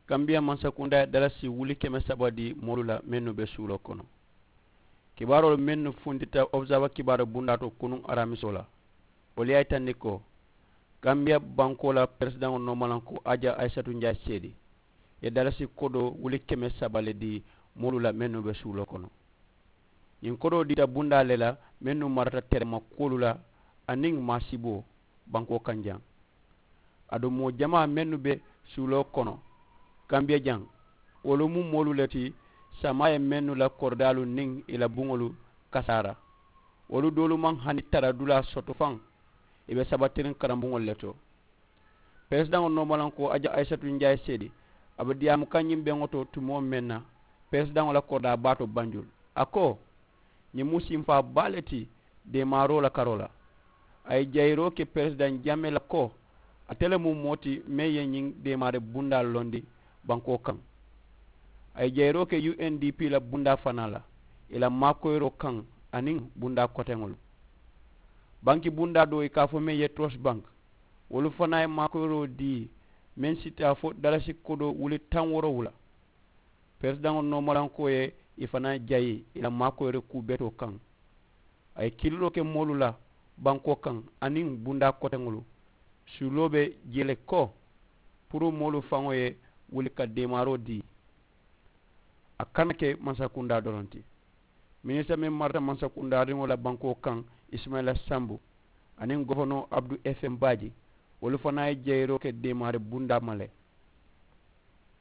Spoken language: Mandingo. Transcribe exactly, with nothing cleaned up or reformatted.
Kambiya mansakundaa ye dalasi wuli keme saba dii moolu la mennu be suuloo kono. Kibaaroolu mennu funtita observa kibaaru bundaa to kunuŋ araamisoo la, wolu ye a yitandi ko kambiya bankoo la peresidaŋo noomalankoo aja ayisatu njaayi seedi ye dalasi kodoo wuli keme saba le dii moolu la mennu be suuloo kono. Ñiŋ kodoo diita bundaa le la mennu marata terema kuwolu la aniŋ maasiboo bankoo kaŋ jaŋ. Aduŋ moo jamaa mennu be suuloo kono kambiya jaŋ, wolu mu moolu le ti samaa ye mennu la koridaalu niŋ ì la buŋolu kasaara. Wolu doolu maŋ hani tara dulaa soto faŋ. Ì be sabatiriŋ karambuŋolu le to. Peresidaŋo noomalankoo aja ayisatu njaayi seedi a be diyaamu kaŋ ñiŋ beŋo to tumoo meŋ na, peresidaŋo la koridaa baa to banjul, a ko ñiŋ mu sinfaa baa le ti deemaaroo la karoo la. A ye jayiroo ke peresidaŋ jamee la ko ate le mu moo ti meŋ ye ñiŋ deemaari bundaa londi bankoo kaŋ. A ye jayiroo ke u n d p la bundaa fanaa la ì la maakoyiroo kaŋ aniŋ bundaa koteŋolu. Banki bundaa doo ì ka a fo meŋ ye trust bank, wolu fanaa ye maakoyiroo dii meŋ si taa fo dalasi kodoo wuli taŋ woorowula. Peresidaŋo noomalankoo ye ì fanaa jayi ì la maakoyiri kuu betoo kaŋ. A ye kiliroo ke moolu la bankoo kaŋ aniŋ bundaa koteŋolu. Suuloo be jee le ko puru moolu faŋo ye wuli ka deemaaroo dii. A kana ke mansakundaa doroŋ ti. Minisita meŋ marata mansakundaariŋo la bankoo kaŋ, isimayila sambu, aniŋ gofonoo abdu f m baaji, wolu fanaa ye jeyiroo ke deemaari bundaa ma le.